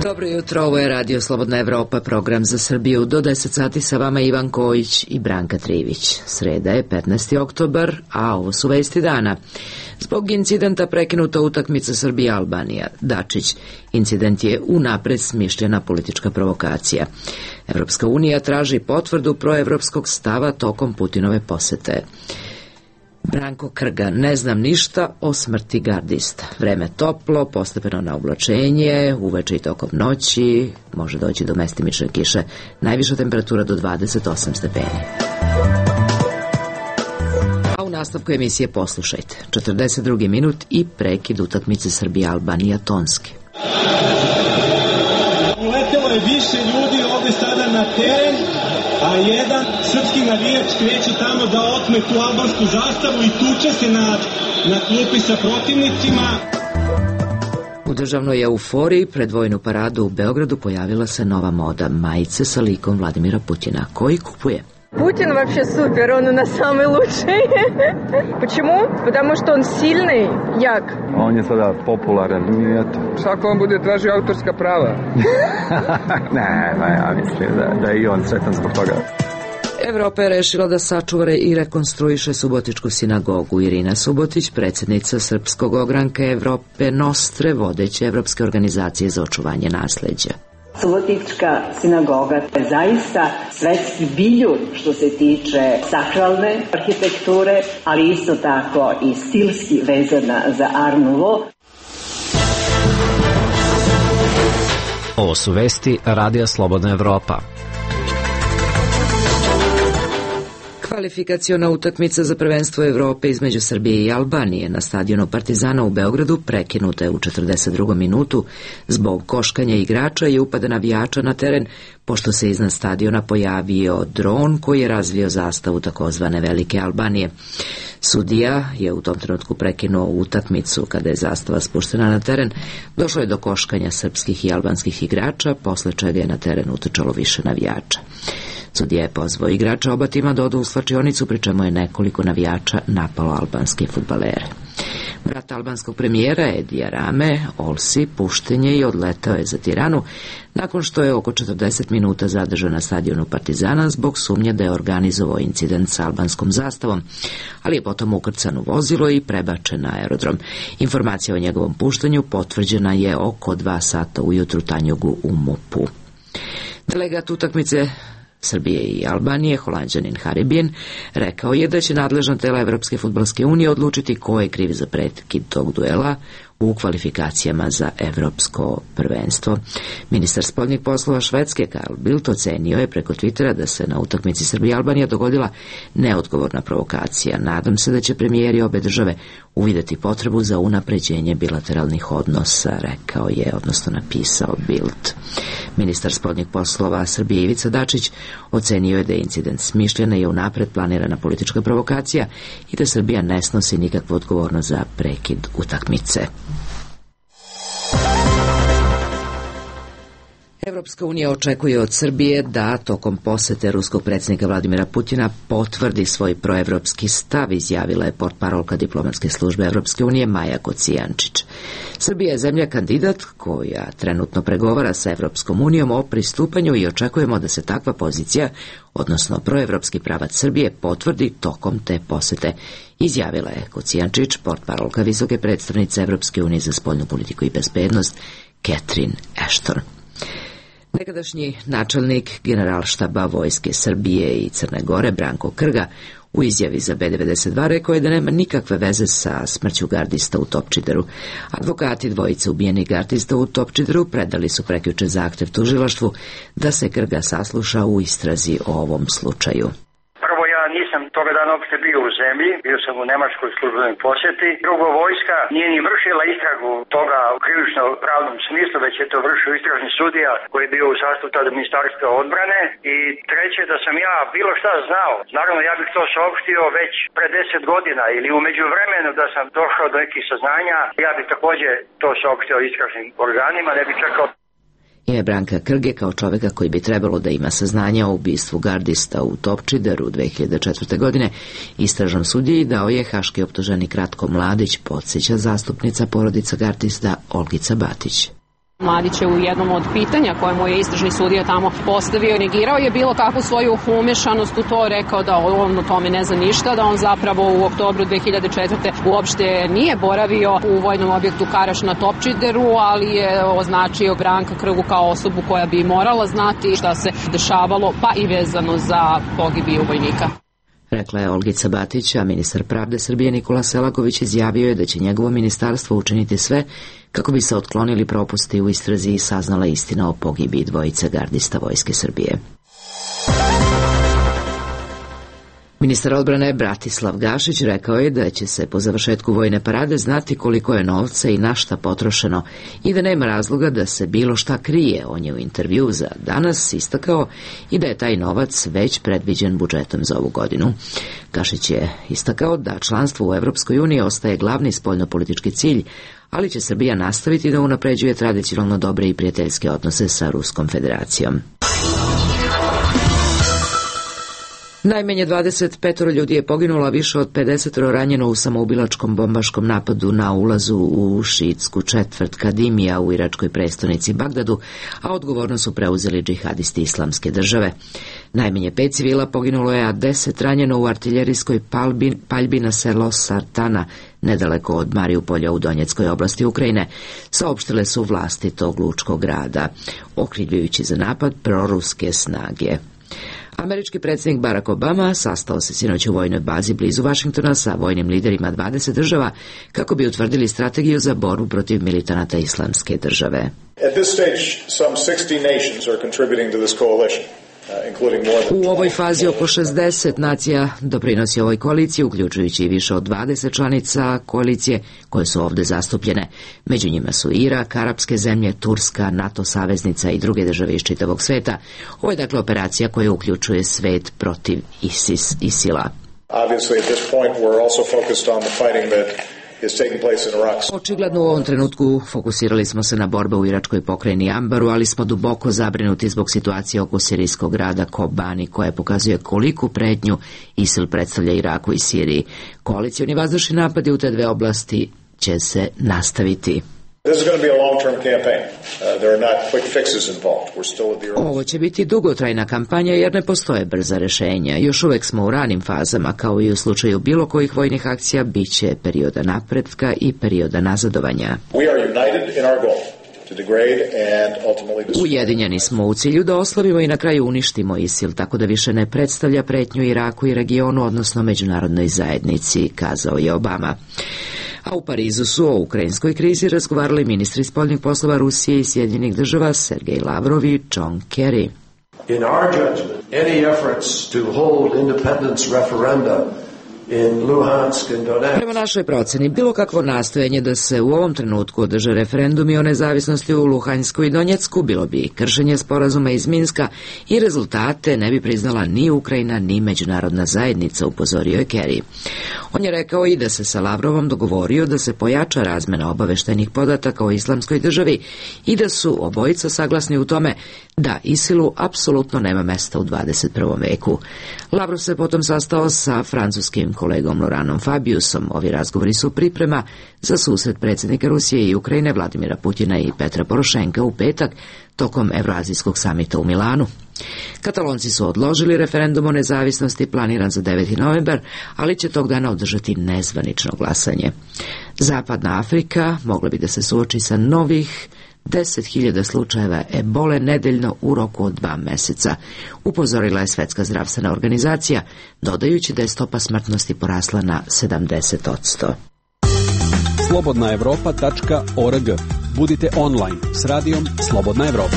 Dobro jutro, ovo je Radio Slobodna Evropa, program za Srbiju. Do 10 sati sa vama Ivan Kojić i Branka Trivić. Sreda je 15. oktobar, a ovo su vesti dana. Zbog incidenta prekinuta utakmica Srbija-Albanija. Dačić, incident je unapred smišljena politička provokacija. Evropska unija traži potvrdu proevropskog stava tokom Putinove posete. Branko Krga, ne znam ništa o smrti gardista. Vreme toplo, postepeno na oblačenje, uveče i tokom noći, može doći do mestimične kiše, najviša temperatura do 28 stepeni. A u nastavku emisije poslušajte. 42. minut i prekid utakmice Srbija-Albanija tonski. Uletelo je više ljudi ovde sada na teren, a jedan srpski navijač kreće tamo da otme tu albansku zastavu i tuče se na klupi sa protivnicima. U državnoj euforiji pred vojnu paradu u Beogradu pojavila se nova moda, majice sa likom Vladimira Putina. Ko ih kupuje? Путин вообще супер, он у нас самый лучший. Почему? Потому что он сильный, jak. On je sada popularan i eto. Svako on bude tražio autorska prava. Ne, ja mislim da je i on sretan zbog toga. Evropa je rešila da sačuva i rekonstruiše Subotičku sinagogu. Irina Subotić, predsjednica Srpskog ogranka Evrope Nostre, vodeće Evropske organizacije za očuvanje nasleđa. Subotička sinagoga je zaista svetski biljun što se tiče sakralne arhitekture, ali isto tako i stilski vezana za Art Nouveau. Ovo su vesti Radija Slobodna Evropa. Kvalifikaciona utakmica za prvenstvo Evrope između Srbije i Albanije na stadionu Partizana u Beogradu prekinuta je u 42. minutu zbog koškanja igrača i upada navijača na teren, pošto se iznad stadiona pojavio dron koji je razvio zastavu takozvane Velike Albanije. Sudija je u tom trenutku prekinuo utakmicu kada je zastava spuštena na teren. Došlo je do koškanja srpskih i albanskih igrača, posle čega je na teren utrčalo više navijača. Sudija je pozvao igrača oba tima da odu u slačionicu, pri čemu je nekoliko navijača napalo albanske fudbalere. Brat albanskog premijera Edija Rame, Olsi, pušten je i odletao je za Tiranu, nakon što je oko 40 minuta zadržan na stadionu Partizana zbog sumnje da je organizovao incident sa albanskom zastavom, ali je potom ukrcan u vozilo i prebačen na aerodrom. Informacija o njegovom puštanju potvrđena je oko 2 sata ujutru Tanjugu u MUP-u. Delegat utakmice Srbije i Albanije, Holanđanin Haribin, rekao je da će nadležna tela Evropske fudbalske unije odlučiti ko je kriv za prekid tog duela u kvalifikacijama za evropsko prvenstvo. Ministar spoljnih poslova Švedske Carl Bildt ocenio je preko Twittera da se na utakmici Srbija i Albanija dogodila neodgovorna provokacija. Nadam se da će premijeri obe države uvideti potrebu za unapređenje bilateralnih odnosa, rekao je, odnosno napisao Bildt. Ministar spoljnih poslova Srbije Ivica Dačić ocenio je da je incident smišljena i unapred planirana politička provokacija i da Srbija ne snosi nikakvu odgovornost za prekid utakmice. Evropska unija očekuje od Srbije da tokom posete ruskog predsjednika Vladimira Putina potvrdi svoj proevropski stav, izjavila je portparolka diplomatske službe Evropske unije Maja Kocijančić. Srbija je zemlja kandidat koja trenutno pregovara sa Evropskom unijom o pristupanju i očekujemo da se takva pozicija, odnosno proevropski pravac Srbije, potvrdi tokom te posete, izjavila je Kocijančić, portparolka visoke predstavnice Evropske unije za spoljnu politiku i bezbednost Catherine Ashton. Nekadašnji načelnik Generalštaba Vojske Srbije i Crne Gore Branko Krga u izjavi za B92 rekao je da nema nikakve veze sa smrću gardista u Topčideru. Advokati dvojice ubijenih gardista u Topčideru predali su prekjuče zahtev tužilaštvu da se Krga sasluša u istrazi o ovom slučaju. Nisam toga dana uopšte bio u zemlji, bio sam u nemačkoj službenoj posjeti. Drugo, vojska nije ni vršila istragu toga u krivično-pravnom smislu, već je to vršio istražni sudija koji je bio u sastavu tada Ministarstva odbrane. I treće, da sam ja bilo šta znao. Naravno, ja bih to saopštio već pre 10 godina ili u međuvremenu da sam došao do nekih saznanja, ja bih također to saopštio istražnim organima, ne bih čekao. Ime Branka Krge kao čoveka koji bi trebalo da ima saznanja o ubistvu gardista u Topčideru 2004. godine istražnom sudiji dao je haški optuženik Ratko Mladić, podsjeća zastupnica porodica gardista Olgica Batić. Mladić je u jednom od pitanja koje mu je istražni sudija tamo postavio i negirao je bilo kakvu svoju umešanost u to, rekao da on o tome ne zna ništa, da on zapravo u oktobru 2004. uopšte nije boravio u vojnom objektu Karaš na Topčideru, ali je označio Branka Krgu kao osobu koja bi morala znati šta se dešavalo, pa i vezano za pogibiju vojnika. Rekla je Olgica Batić, a ministar pravde Srbije Nikola Selaković izjavio je da će njegovo ministarstvo učiniti sve kako bi se otklonili propusti u istrazi i saznala istina o pogibiji dvojice gardista Vojske Srbije. Ministar odbrane Bratislav Gašić rekao je da će se po završetku vojne parade znati koliko je novca i na šta potrošeno i da nema razloga da se bilo šta krije. On je u intervju za Danas istakao i da je taj novac već predviđen budžetom za ovu godinu. Gašić je istakao da članstvo u Evropskoj uniji ostaje glavni spoljnopolitički cilj, ali će Srbija nastaviti da unapređuje tradicionalno dobre i prijateljske odnose sa Ruskom federacijom. Najmanje 25 ljudi je poginulo, a više od 50 ranjeno u samoubilačkom bombaškom napadu na ulazu u šiitsku četvrt Kadimija u iračkoj prestonici Bagdadu, a odgovornost su preuzeli džihadisti Islamske države. Najmanje 5 civila poginulo je, a 10 ranjeno u artiljerijskoj paljbi na selo Sartana, nedaleko od Mariupolja u Donjeckoj oblasti Ukrajine, saopštile su vlasti tog lučkog grada, okrivljujući za napad proruske snage. Američki predsjednik Barack Obama sastao se sinoć u vojnoj bazi blizu Vašingtona sa vojnim liderima 20 država kako bi utvrdili strategiju za borbu protiv militanata Islamske države. At this stage, some 60 nations are contributing to this coalition. U ovoj fazi oko 60 nacija doprinosi ovoj koaliciji, uključujući i više od 20 članica koalicije koje su ovde zastupljene. Među njima su Irak, arapske zemlje, Turska, NATO saveznica i druge države iz čitavog sveta. Ovo je dakle operacija koja uključuje svet protiv ISIL-a. Obviously, at this point, we're also focused on the fighting that is taking place in Iraq. Očigledno u ovom trenutku fokusirali smo se na borbe u iračkoj pokrajini Ambaru, ali smo duboko zabrinuti zbog situacije oko sirijskog grada Kobani, koja pokazuje koliku pretnju ISIL predstavlja Iraku i Siriji. Koalicioni vazdušni napadi u te dve oblasti će se nastaviti. Ovo će biti dugotrajna kampanja jer ne postoje brza rešenja. Još uvek smo u ranim fazama, kao i u slučaju bilo kojih vojnih akcija, bit će perioda napretka i perioda nazadovanja. Ujedinjeni smo u cilju da oslavimo i na kraju uništimo ISIL, tako da više ne predstavlja pretnju Iraku i regionu, odnosno međunarodnoj zajednici, kazao je Obama. A u Parizu su o ukrajinskoj krizi razgovarali ministri spoljnih poslova Rusije i Sjedinjenih država Sergej Lavrov i John Kerry. In our judgment, any efforts to hold independence referenda in Luhansk and Donetsk. Prema našoj proceni, bilo kakvo nastojanje da se u ovom trenutku održe referendumi o nezavisnosti u Luhansku i Donjecku bilo bi kršenje sporazuma iz Minska i rezultate ne bi priznala ni Ukrajina ni međunarodna zajednica, upozorio je Kerry. On je rekao i da se sa Lavrovom dogovorio da se pojača razmena obaveštajnih podataka o islamskoj državi i da su obojica saglasni u tome da ISIL-u apsolutno nema mesta u 21. veku. Lavrov se potom sastao sa francuskim kolegom Lauranom Fabiusom. Ovi razgovori su priprema za susret predsjednika Rusije i Ukrajine Vladimira Putina i Petra Porošenka u petak tokom Evroazijskog samita u Milanu. Katalonci su odložili referendum o nezavisnosti planiran za 9. novembar, ali će tog dana održati nezvanično glasanje. Zapadna Afrika mogla bi da se suoči sa novih 10.000 slučajeva ebole nedeljno u roku od 2 meseca, upozorila je Svetska zdravstvena organizacija, dodajući da je stopa smrtnosti porasla na 70%. Slobodnaevropa.org. Budite online s radijom Slobodna Evropa.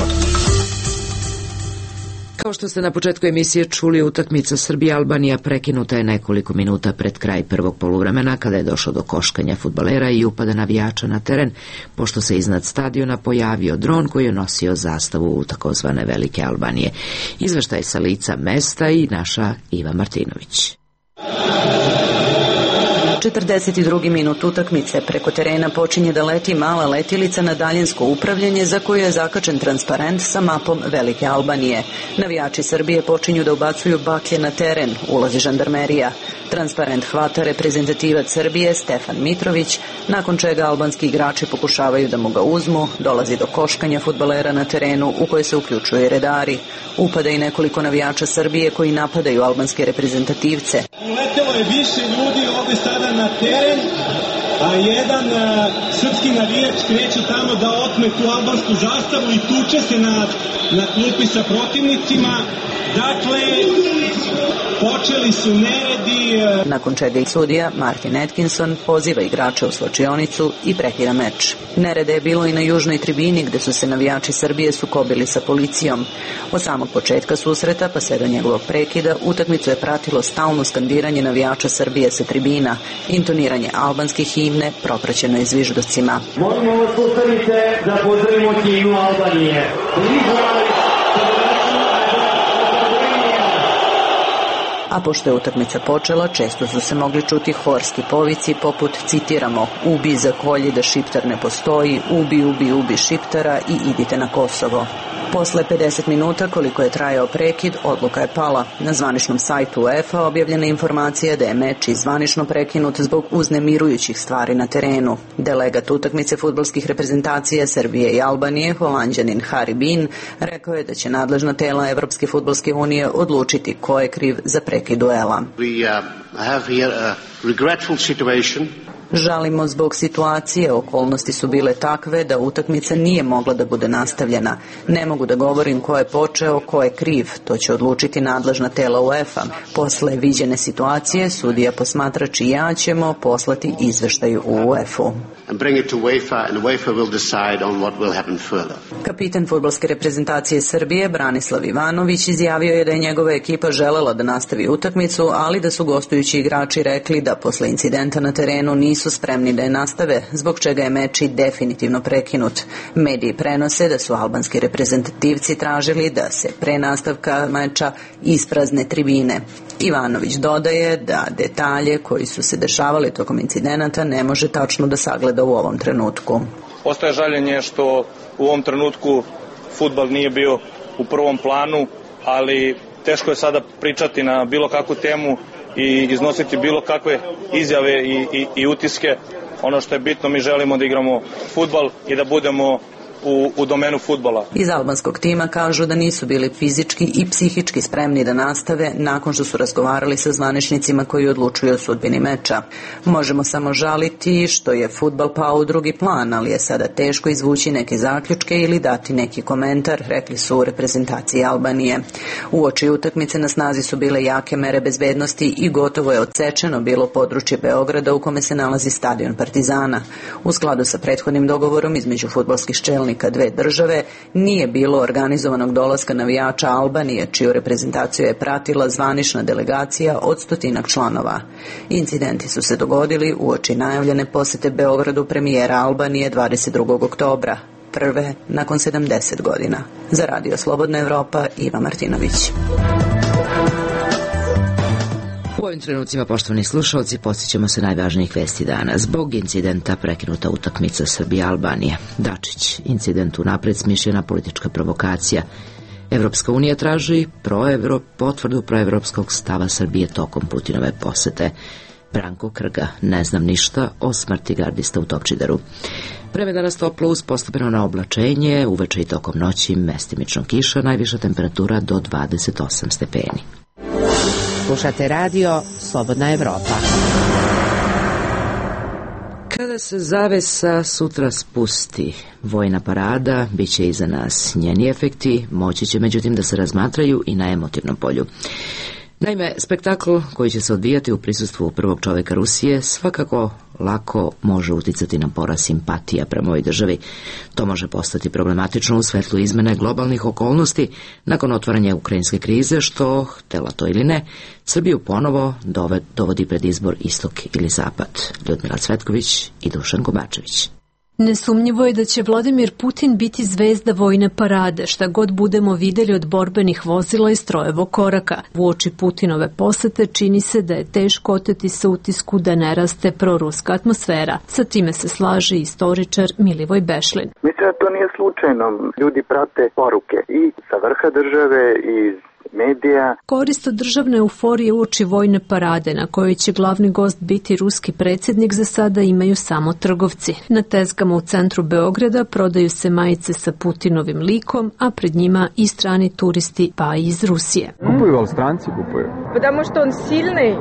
Kao što ste na početku emisije čuli, utakmica Srbija-Albanija prekinuta je nekoliko minuta pred kraj prvog poluvremena, kada je došlo do koškanja fudbalera i upada navijača na teren, pošto se iznad stadiona pojavio dron koji je nosio zastavu u takozvane Velike Albanije. Izveštaj sa lica mesta i naša Iva Martinović. 42. minut utakmice. Preko terena počinje da leti mala letilica na daljinsko upravljanje za koju je zakačen transparent sa mapom Velike Albanije. Navijači Srbije počinju da ubacuju baklje na teren, ulazi žandarmerija. Transparent hvata reprezentativac Srbije Stefan Mitrović, nakon čega albanski igrači pokušavaju da mu ga uzmu, dolazi do koškanja fudbalera na terenu u koje se uključuju i redari. Upada i nekoliko navijača Srbije koji napadaju albanske reprezentativce. Uletelo je više ljudi ovde sada na teren, a jedan srpski navijač kreće tamo da otme tu albansku zastavu i tuče se na klupi sa protivnicima. Dakle, počeli su neredi. Nakon čega i sudija Martin Atkinson poziva igrače u slačionicu i prekida meč. Nerede je bilo i na južnoj tribini gde su se navijači Srbije sukobili sa policijom. Od samog početka susreta pa sve do njegovog prekida utakmicu je pratilo stalno skandiranje navijača Srbije sa tribina, intoniranje albanske himne propraćeno je zviždocima. Molimo vas ustanite da pozdravimo himnu Albanije. A pošto je utakmica počela, često su se mogli čuti horski povici poput, citiramo, ubi za kolji da Šiptar ne postoji, ubi Šiptara i idite na Kosovo. Posle 50 minuta, koliko je trajao prekid, odluka je pala. Na zvaničnom sajtu UEFA objavljena informacija da je meč zvanično prekinut zbog uznemirujućih stvari na terenu. Delegat utakmice fudbalskih reprezentacija Srbije i Albanije, Holanđanin Harry Bean, rekao je da će nadležna tela Evropske fudbalske unije odlučiti ko je kriv za prekid duela. We have here a regretful situation. Žalimo zbog situacije, okolnosti su bile takve da utakmica nije mogla da bude nastavljena. Ne mogu da govorim ko je počeo, ko je kriv, to će odlučiti nadležna tela UEFA. Posle viđene situacije, sudija, posmatrač i ja ćemo poslati izveštaj u UEFA-u. Kapitan fudbalske reprezentacije Srbije, Branislav Ivanović, izjavio je da je njegova ekipa želela da nastavi utakmicu, ali da su gostujući igrači rekli da posle incidenta na terenu nisu spremni da je nastave, zbog čega je meč definitivno prekinut. Mediji prenose da su albanski reprezentativci tražili da se pre nastavka meča isprazne tribine. Ivanović dodaje da detalje koji su se dešavali tokom incidenata ne može tačno da sagleda u ovom trenutku. Ostaje žaljenje što u ovom trenutku fudbal nije bio u prvom planu, ali teško je sada pričati na bilo kakvu temu i iznositi bilo kakve izjave i utiske. Ono što je bitno, mi želimo da igramo fudbal i da budemo u domenu fudbala. Iz albanskog tima kažu da nisu bili fizički i psihički spremni da nastave nakon što su razgovarali sa zvaničnicima koji odlučuju o sudbini meča. Možemo samo žaliti što je fudbal pao u drugi plan, ali je sada teško izvući neke zaključke ili dati neki komentar, rekli su u reprezentaciji Albanije. Uoči utakmice na snazi su bile jake mere bezbednosti i gotovo je odsečeno bilo područje Beograda u kome se nalazi stadion Partizana. U skladu sa prethodnim dogovorom između fudbalskih čelnika dve države, nije bilo organizovanog dolaska navijača Albanije, čiju reprezentaciju je pratila zvanična delegacija od 100 članova. Incidenti su se dogodili uoči najavljene posete Beogradu premijera Albanije 22. oktobra, prve nakon 70 godina. Za Radio Slobodna Evropa, Iva Martinović. U ovim trenucima, poštovani slušalci, podsjećamo se najvažnijih vesti dana. Zbog incidenta prekinuta utakmica Srbija-Albanija. Dačić, incident unapred smišljena politička provokacija. Evropska unija traži potvrdu proevropskog stava Srbije tokom Putinove posete. Branko Krga, ne znam ništa o smrti gardista u Topčideru. Vreme danas toplo uz postepeno na oblačenje, uveče i tokom noći mestimično kiša, najviša temperatura do 28 stepeni. Slušate radio Slobodna Evropa. Kada se zavesa sutra spusti, vojna parada biće iza nas. Njeni efekti moći će međutim da se razmatraju i na emotivnom polju. Naime, spektakl koji će se odvijati u prisustvu prvog čoveka Rusije svakako lako može uticati na porast simpatija prema ovoj državi. To može postati problematično u svetlu izmene globalnih okolnosti nakon otvaranja ukrajinske krize, što, htela to ili ne, Srbiju ponovo dovodi pred izbor istok ili zapad. Ljudmila Cvetković i Dušan Kobačević. Nesumnjivo je da će Vladimir Putin biti zvezda vojne parade, šta god budemo videli od borbenih vozila i strojevog koraka. Uoči Putinove posete čini se da je teško oteti se utisku da ne raste proruska atmosfera. Sa time se slaže istoričar Milivoj Bešlin. Mislim da to nije slučajno. Ljudi prate poruke i sa vrha države i medija. Korist od državne euforije uoči vojne parade na kojoj će glavni gost biti ruski predsjednik za sada imaju samo trgovci. Na tezgama u centru Beograda prodaju se majice sa Putinovim likom, a pred njima i strani turisti pa i iz Rusije. Kupuju, ali stranci kupuju. Потому что он сильный,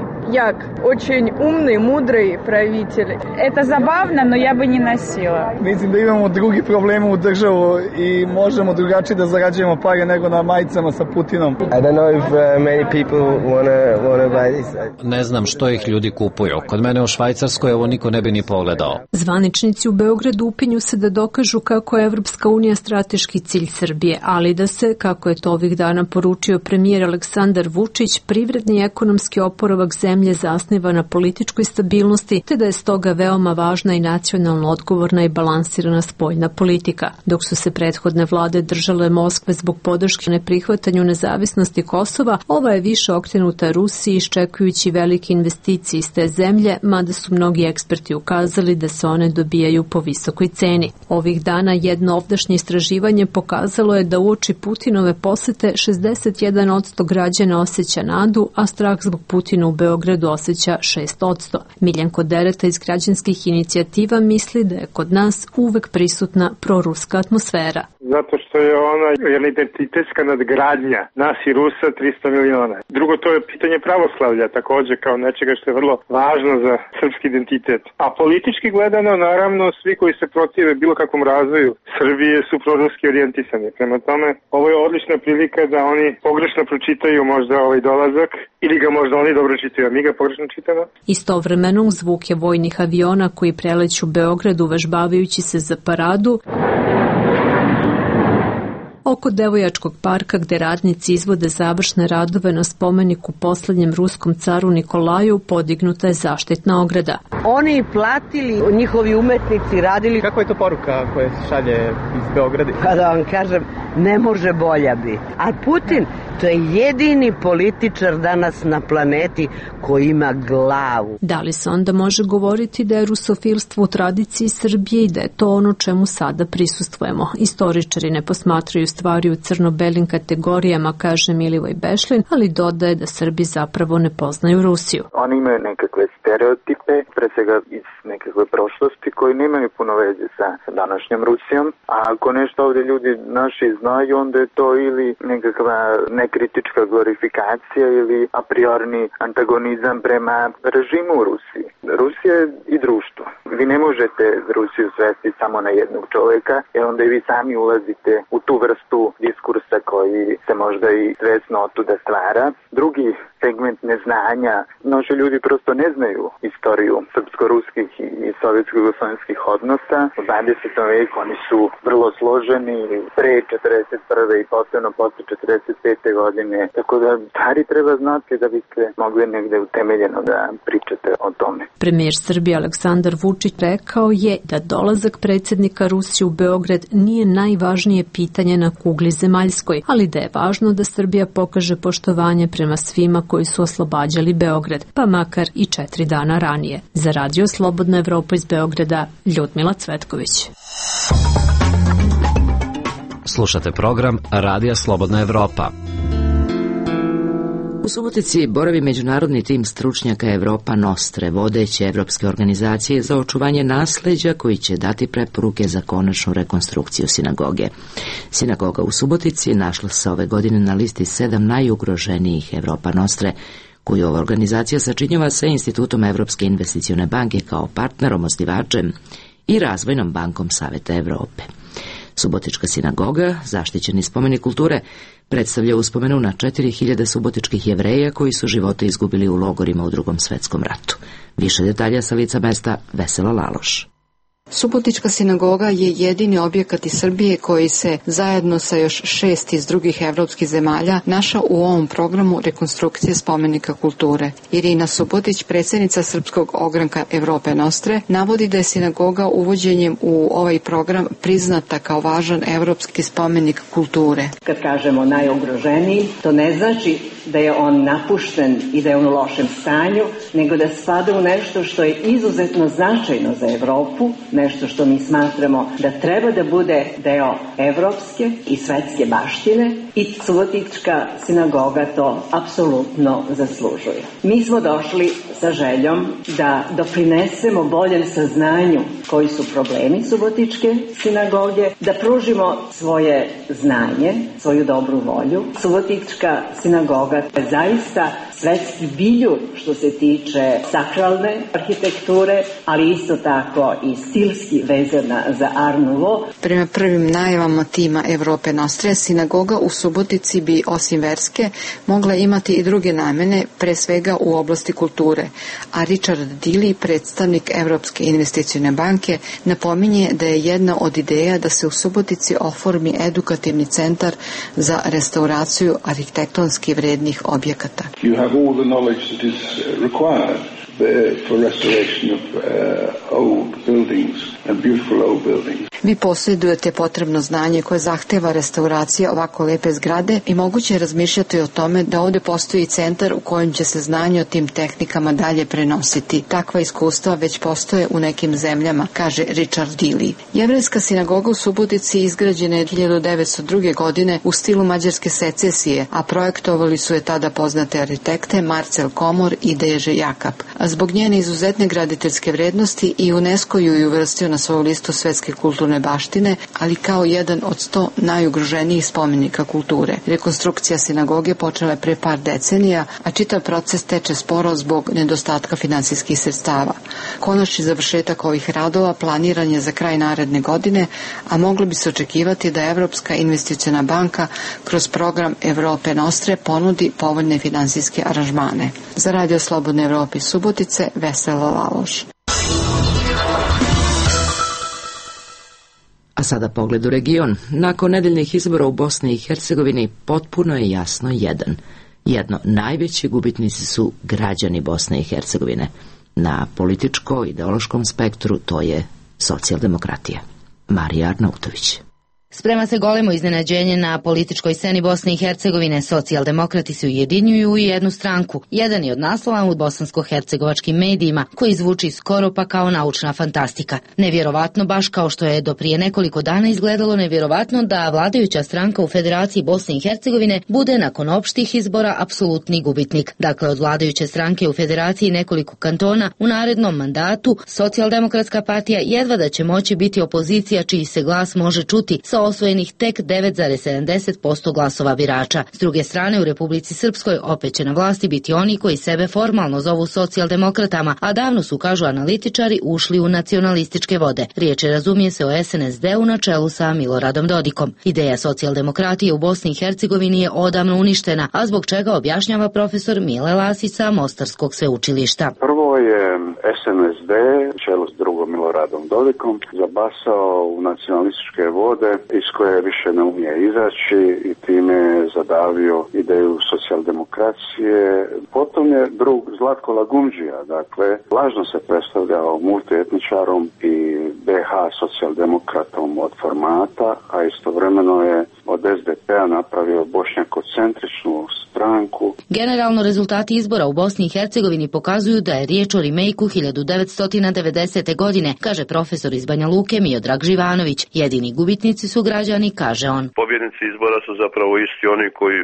як, очень умный, мудрый правитель. Это забавно, но я бы не носила. Mislim da imamo drugi problema u državu i možemo drugačije da zarađujemo pare nego na majicama sa Putinom. I don't know if many people wanna buy this. Ne znam što ih ljudi kupuju. Kod mene u Švajcarskoj ovo niko ne bi ni pogledao. Zvaničnici u Beogradu upinju se da dokažu kako je Evropska unija strateški cilj Srbije, ali da se, kako je to ovih dana poručio premijer Aleksandar Vučić, privredni i ekonomski oporavak zemlje zasniva na političkoj stabilnosti, te da je stoga veoma važna i nacionalno odgovorna i balansirana spoljna politika. Dok su se prethodne vlade držale Moskve zbog podrške neprihvatanju nezavisnosti Kosova, ova je više okrenuta Rusiji iščekujući velike investicije iz te zemlje, mada su mnogi eksperti ukazali da se one dobijaju po visokoj ceni. Ovih dana jedno ovdašnje istraživanje pokazalo je da uoči Putinove posete 61% građana osjeća nadu, a strah zbog Putina u Beogradu osjeća 6%. Miljenko Dereta iz građanskih inicijativa misli da je kod nas uvek prisutna proruska atmosfera. Zato što je ona jedna identitetska nadgradnja nas i Rusa 300 miliona. Drugo, to je pitanje pravoslavlja takođe kao nečega što je vrlo važno za srpski identitet. A politički gledano, naravno, svi koji se protive bilo kakvom razvoju Srbije su proruski orijentisani. Prema tome, ovo je odlična prilika da oni pogrešno pročitaju možda ovaj dolazak ili ga možda oni dobro čitaju, a mi ga pogrešno čitamo. Istovremeno uz zvuke vojnih aviona koji preleću Beograd uvežbavajući se za paradu, oko Devojačkog parka gde radnici izvode završne radove na spomeniku poslednjem ruskom caru Nikolaju podignuta je zaštitna ograda. Oni platili, njihovi umetnici radili. Kako je to poruka koja se šalje iz Beograda? Pa da vam kažem, ne može bolja biti. A Putin, to je jedini političar danas na planeti koji ima glavu. Da li se onda može govoriti da je rusofilstvo u tradiciji Srbije i da je to ono čemu sada prisustvujemo? Istoričari ne posmatraju stvari u crno-belim kategorijama, kaže Milivoj Bešlin, ali dodaje da Srbi zapravo ne poznaju Rusiju. Oni imaju nekakve stereotipe, pre svega iz nekakve prošlosti koji nemaju puno veze sa današnjom Rusijom, a ako nešto ovdje ljudi naši znaju, onda je to ili nekakva nekritička glorifikacija ili a priorni antagonizam prema režimu u Rusiji. Rusija je i društvo. Vi ne možete Rusiju svesti samo na jednog čovjeka, jer onda i vi sami ulazite u tu vrstu diskursa koji se možda i svesno otuda stvara. Drugi segment neznanja, naši ljudi prosto ne znaju istoriju srpsko-ruskih i sovjetsko-jugoslovenskih odnosa. U 20. veku oni su vrlo složeni, pre 41. i posebno posle 45. godine. Tako da stvari treba znati da biste mogli negde utemeljeno da pričate o tome. Premijer Srbije Aleksandar Vučić rekao je da dolazak predsjednika Rusije u Beograd nije najvažnije pitanje na kugli zemaljskoj, ali da je važno da Srbija pokaže poštovanje prema svima koji su oslobađali Beograd, pa makar i 4 dana ranije. Za Radio Slobodna Evropa iz Beograda, Ljudmila Cvetković. Slušate program Radija Slobodna Evropa. U Subotici boravi međunarodni tim stručnjaka Evropa Nostre, vodeće evropske organizacije za očuvanje nasleđa koji će dati preporuke za konačnu rekonstrukciju sinagoge. Sinagoga u Subotici našla se ove godine na listi 7 najugroženijih Evropa Nostre, koju ova organizacija sačinjava sa Institutom Evropske investicione banke kao partnerom, osnivačem i Razvojnom bankom Saveta Evrope. Subotička sinagoga, zaštićeni spomenik kulture, predstavlja uspomenu na 4000 subotičkih Jevreja koji su živote izgubili u logorima u Drugom svetskom ratu. Više detalja sa lica mesta Vesela Laloš. Subotička sinagoga je jedini objekat iz Srbije koji se zajedno sa još 6 iz drugih evropskih zemalja našao u ovom programu rekonstrukcije spomenika kulture. Irina Subotić, predsjednica Srpskog ogranka Evrope Nostre, navodi da je sinagoga uvođenjem u ovaj program priznata kao važan evropski spomenik kulture. Kad kažemo najugroženiji, to ne znači da je on napušten i da je on u lošem stanju, nego da spada u nešto što je izuzetno značajno za Evropu, nešto što mi smatramo da treba da bude deo evropske i svetske baštine i Subotička sinagoga to apsolutno zaslužuje. Mi smo došli sa željom da doprinesemo boljem saznanju koji su problemi Subotičke sinagoge, da pružimo svoje znanje, svoju dobru volju. Subotička sinagoga je zaista svetski biljur što se tiče sakralne arhitekture, ali isto tako i stilski vezana za Art Nouveau. Prema prvim najavama tima Evrope Nostre, sinagoga u Subotici bi osim verske mogla imati i druge namene, pre svega u oblasti kulture. A Richard Dili, predstavnik Evropske investicione banke, napominje da je jedna od ideja da se u Subotici oformi edukativni centar za restauraciju arhitektonski vrednih objekata. You have all the knowledge that is required for restoration of old buildings and beautiful old buildings. Vi posjedujete potrebno znanje koje zahteva restauracija ovako lepe zgrade i moguće je razmišljati o tome da ovdje postoji centar u kojem će se znanje o tim tehnikama dalje prenositi. Takva iskustva već postoje u nekim zemljama, kaže Richard Dili. Jevrejska sinagoga u Subotici izgrađena je 1902. godine u stilu mađarske secesije, a projektovali su je tada poznate arhitekte Marcel Komor i Deže Jakab. A zbog njene izuzetne graditeljske vrednosti i UNESCO ju je uvrstio na svoju listu svetske kulturne baštine, ali kao jedan od 100 najugroženijih spomenika kulture. Rekonstrukcija sinagoge počela je pre par decenija, a čitav proces teče sporo zbog nedostatka finansijskih sredstava. Konačni završetak ovih radova planiran je za kraj naredne godine, a moglo bi se očekivati da Evropska investiciona banka kroz program Evrope Nostre ponudi povoljne finansijske aranžmane. Za Radio Slobodne Evrope iz Subotice, Vesela Laloš. A sada pogled u region. Nakon nedeljnih izbora u Bosni i Hercegovini potpuno je jasno jedno. Najveći gubitnici su građani Bosne i Hercegovine. Na političko-ideološkom spektru to je socijaldemokratija. Marija Arnautović. Sprema se golemo iznenađenje na političkoj sceni Bosne i Hercegovine. Socijaldemokrati se ujedinjuju u jednu stranku. Jedan je od naslova u bosansko-hercegovačkim medijima, koji zvuči skoro pa kao naučna fantastika. Nevjerovatno, baš kao što je do prije nekoliko dana izgledalo nevjerovatno da vladajuća stranka u Federaciji Bosne i Hercegovine bude nakon opštih izbora apsolutni gubitnik. Dakle, od vladajuće stranke u Federaciji nekoliko kantona u narednom mandatu Socijaldemokratska partija jedva da će moći biti opozicija čiji se glas može čuti sa osvojenih tek 9,70% glasova birača. S druge strane, u Republici Srpskoj opet će na vlasti biti oni koji sebe formalno zovu socijaldemokratama, a davno su, kažu analitičari, ušli u nacionalističke vode. Riječ je, razumije se, o SNSD-u na čelu sa Miloradom Dodikom. Ideja socijaldemokratije u Bosni i Hercegovini je odavno uništena, a zbog čega objašnjava profesor Mile Lasić sa Mostarskog sveučilišta. Prvo je SNSD, čelu s drugom Miloradom Dodikom, zabasao u nacionalističke vode iz koje više ne umije izaći i time je zadavio ideju socijaldemokracije. Potom je drug Zlatko Lagumđija, dakle, lažno se predstavljao multietničarom i BH socijaldemokratom od formata, a istovremeno je od SDP-a napravio bošnjakocentričnu stranku. Generalno, rezultati izbora u Bosni i Hercegovini pokazuju da je riječ o remejku 1990. godine, kaže profesor iz Banja Luke Miodrag Živanović. Jedini gubitnici su građani, kaže on. Pobjednici izbora su zapravo isti oni koji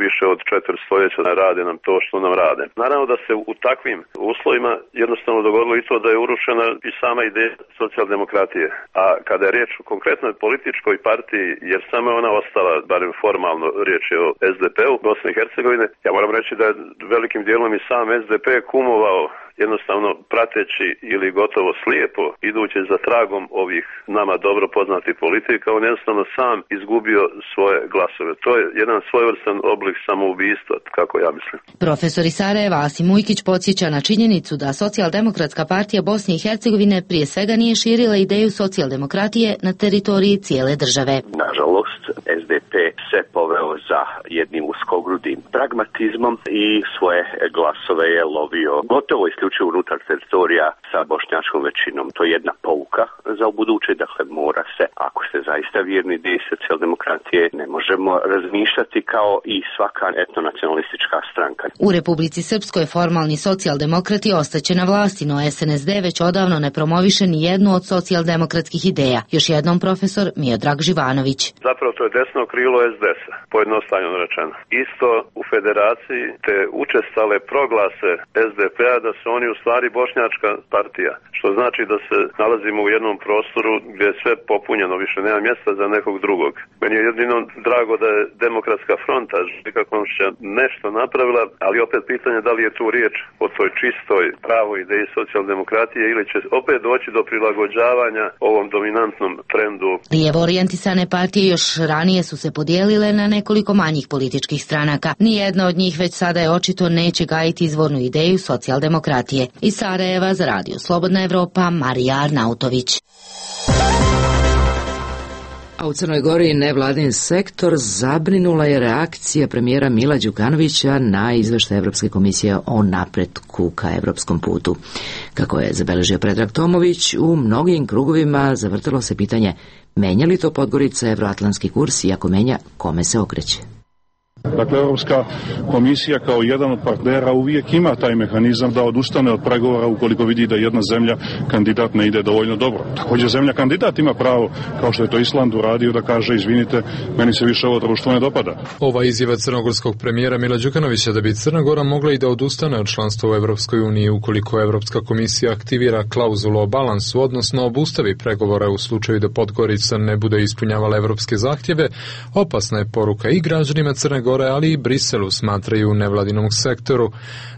više od 4 stoljeća rade nam to što nam rade. Naravno da se u takvim uslovima jednostavno dogodilo i to da je urušena i sama ideja socijaldemokratije. A kada je riječ o konkretnoj političkoj partiji, jer samo je ona ostala, barem formalno, riječ je o SDP-u Bosne i Hercegovine, ja moram reći da je velikim dijelom i sam SDP kumovao jednostavno prateći ili gotovo slijepo idući za tragom ovih nama dobro poznatih politika, on jednostavno sam izgubio svoje glasove. To je jedan svojevrstan oblik samoubistva, kako ja mislim. Profesor iz Sarajeva Asim Ujkić podsjeća na činjenicu da Socijaldemokratska partija Bosne i Hercegovine prije svega nije širila ideju socijaldemokratije na teritoriji cijele države. Nažalost, SDP se poveo za jednim uskogrudim pragmatizmom i svoje glasove je lovio gotovo isključivo unutar teritorija sa bošnjačkom većinom. To je jedna pouka za ubuduće, dakle mora se, ako ste zaista vjerni ideji socijaldemokratije, ne možemo razmišljati kao i svaka etnonacionalistička stranka. U Republici Srpskoj formalni socijaldemokrati ostaće na vlasti, no SNSD već odavno ne promoviše ni jednu od socijaldemokratskih ideja. Još jednom profesor Miodrag Živanović. Zapravo to je desno krilo SDS-a, pojednostavljeno rečeno. Isto u federaciji te učestale proglase SDP-a da su oni u stvari bošnjačka partija, što znači da se nalazimo u jednom prostoru gdje je sve popunjeno, više nema mjesta za nekog drugog. Meni je jedino drago da je Demokratska fronta kako će nešto napravila, ali opet pitanje da li je tu riječ o toj čistoj pravoj ideji socijaldemokratije ili će opet doći do prilagođavanja ovom dominantnom trendu. Lijevo orijentisane partije još ranije su se podijelile na nekoliko manjih političkih stranaka. Nijedna od njih već sada je očito neće gajiti izvornu ideju socijaldemokratije. Iz Sarajeva za Radio Slobodna Evropa, Marija Arnautović. A u Crnoj Gori nevladin sektor zabrinula je reakcija premijera Mila Đukanovića na izveštaj Evropske komisije o napretku ka evropskom putu. Kako je zabeležio Predrag Tomović, u mnogim krugovima zavrtalo se pitanje menja li to Podgorica evroatlantski kurs i ako menja, kome se okreće? Dakle, Europska komisija kao jedan od partnera uvijek ima taj mehanizam da odustane od pregovora ukoliko vidi da jedna zemlja kandidat ne ide dovoljno dobro. Također zemlja kandidat ima pravo, kao što je to Island uradio, da kaže izvinite, meni se više ovo društvo ne dopada. Ova izjava crnogorskog premijera Mila Đukanovića da bi Crna Gora mogla i da odustane od članstva u Evropskoj uniji ukoliko Evropska komisija aktivira klauzulu o balansu, odnosno obustavi pregovore u slučaju da Podgorica ne bude ispunjavala evropske zahtjeve, opasna je poruka i građanima Crne Gore, ali i Briselu, smatraju u nevladinom sektoru.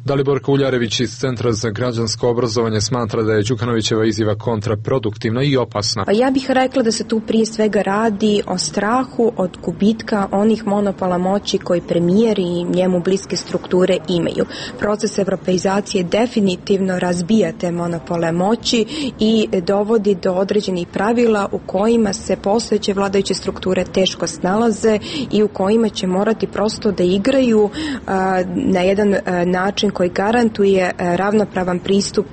Dalibor Kuljarević iz Centra za građansko obrazovanje smatra da je Đukanovićeva izjava kontraproduktivna i opasna. Pa ja bih rekla da se tu prije svega radi o strahu od gubitka onih monopola moći koji premijer i njemu bliske strukture imaju. Proces evropeizacije definitivno razbija te monopole moći i dovodi do određenih pravila u kojima se postojeće vladajuće strukture teško snalaze i u kojima će morati prosto da igraju na jedan način koji garantuje ravnopravan pristup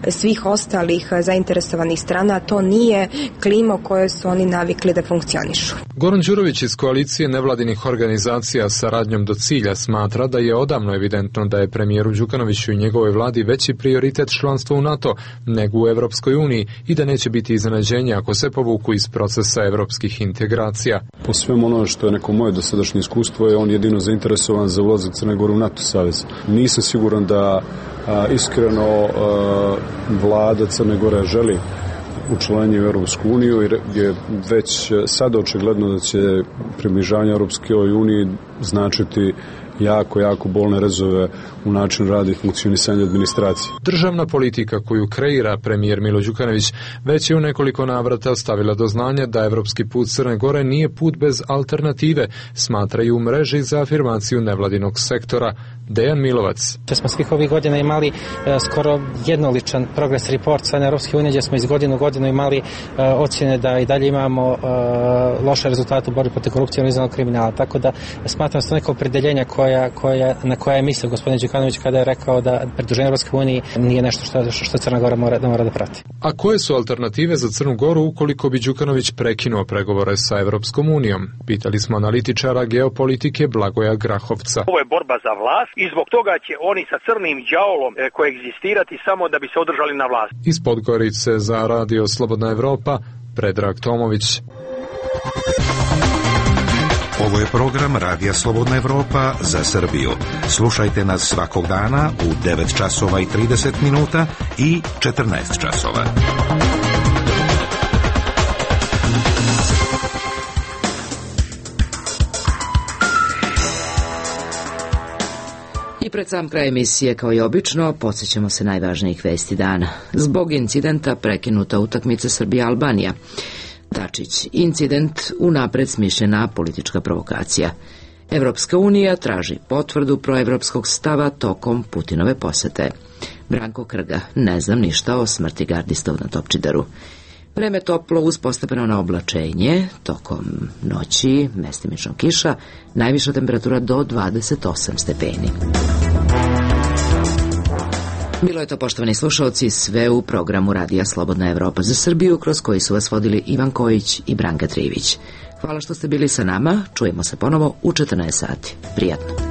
svih ostalih zainteresovanih strana, a to nije klima u kojoj su oni navikli da funkcionišu. Goran Đurović iz koalicije nevladinih organizacija Saradnjom do cilja smatra da je odavno evidentno da je premijeru Đukanoviću i njegovoj vladi veći prioritet članstvo u NATO nego u Evropskoj uniji i da neće biti iznenađenje ako se povuku iz procesa evropskih integracija. Po svemu ono što je neko moje dosadašnje iskustvo je on jedino zainteresovan za ulazak Crne Gore u NATO savez. Nisam siguran da iskreno vlada Crne Gore želi učlanjenje u Europsku uniju, jer je već sada očigledno da će približavanje Europskoj uniji značiti jako bolne rezove u načinu rada i funkcionisanja administracije. Državna politika koju kreira premijer Milo Đukanović već je u nekoliko navrata stavila do znanja da evropski put Crne Gore nije put bez alternative, smatraju u mreži za afirmaciju nevladinog sektora. Dejan Milovac. Smo svih ovih godina imali skoro jednoličan progress report sa Europske unije, gdje smo iz godine u godinu imali ocjene da i dalje imamo loše rezultate u borbi protiv korupcije i organizovanog kriminala. Tako da smatram da su neka opredeljenja na koja je mislio gospodin Đukanović kada je rekao da pridruženje Europske unije nije nešto što Crna Gora mora da prati. A koje su alternative za Crnu Goru ukoliko bi Đukanović prekinuo pregovore sa Evropskom unijom? Pitali smo analitičara geopolitike Blagoja Grahovca. Ovo je borba za vlast i zbog toga će oni sa crnim đavolom koegzistirati samo da bi se održali na vlasti. Iz Podgorice za Radio Slobodna Evropa, Predrag Tomović. Ovo je program Radija Slobodna Evropa za Srbiju. Slušajte nas svakog dana u 9 časova i 30 minuta i 14 časova. I pred sam kraj emisije, kao i obično, podsjećamo se najvažnijih vesti dana. Zbog incidenta prekinuta utakmica Srbija-Albanija. Dačić, incident unapred smišljena politička provokacija. Evropska unija traži potvrdu proevropskog stava tokom Putinove posete. Branko Krga, ne znam ništa o smrti gardistov na Topčideru. Vreme toplo uz postepeno oblačenje, tokom noći mestimično kiša, najviša temperatura do 28 stepeni. Bilo je to, poštovani slušalci, sve u programu Radija Slobodna Evropa za Srbiju, kroz koji su vas vodili Ivan Kojić i Branka Trivić. Hvala što ste bili sa nama, čujemo se ponovo u 14 sati. Prijatno.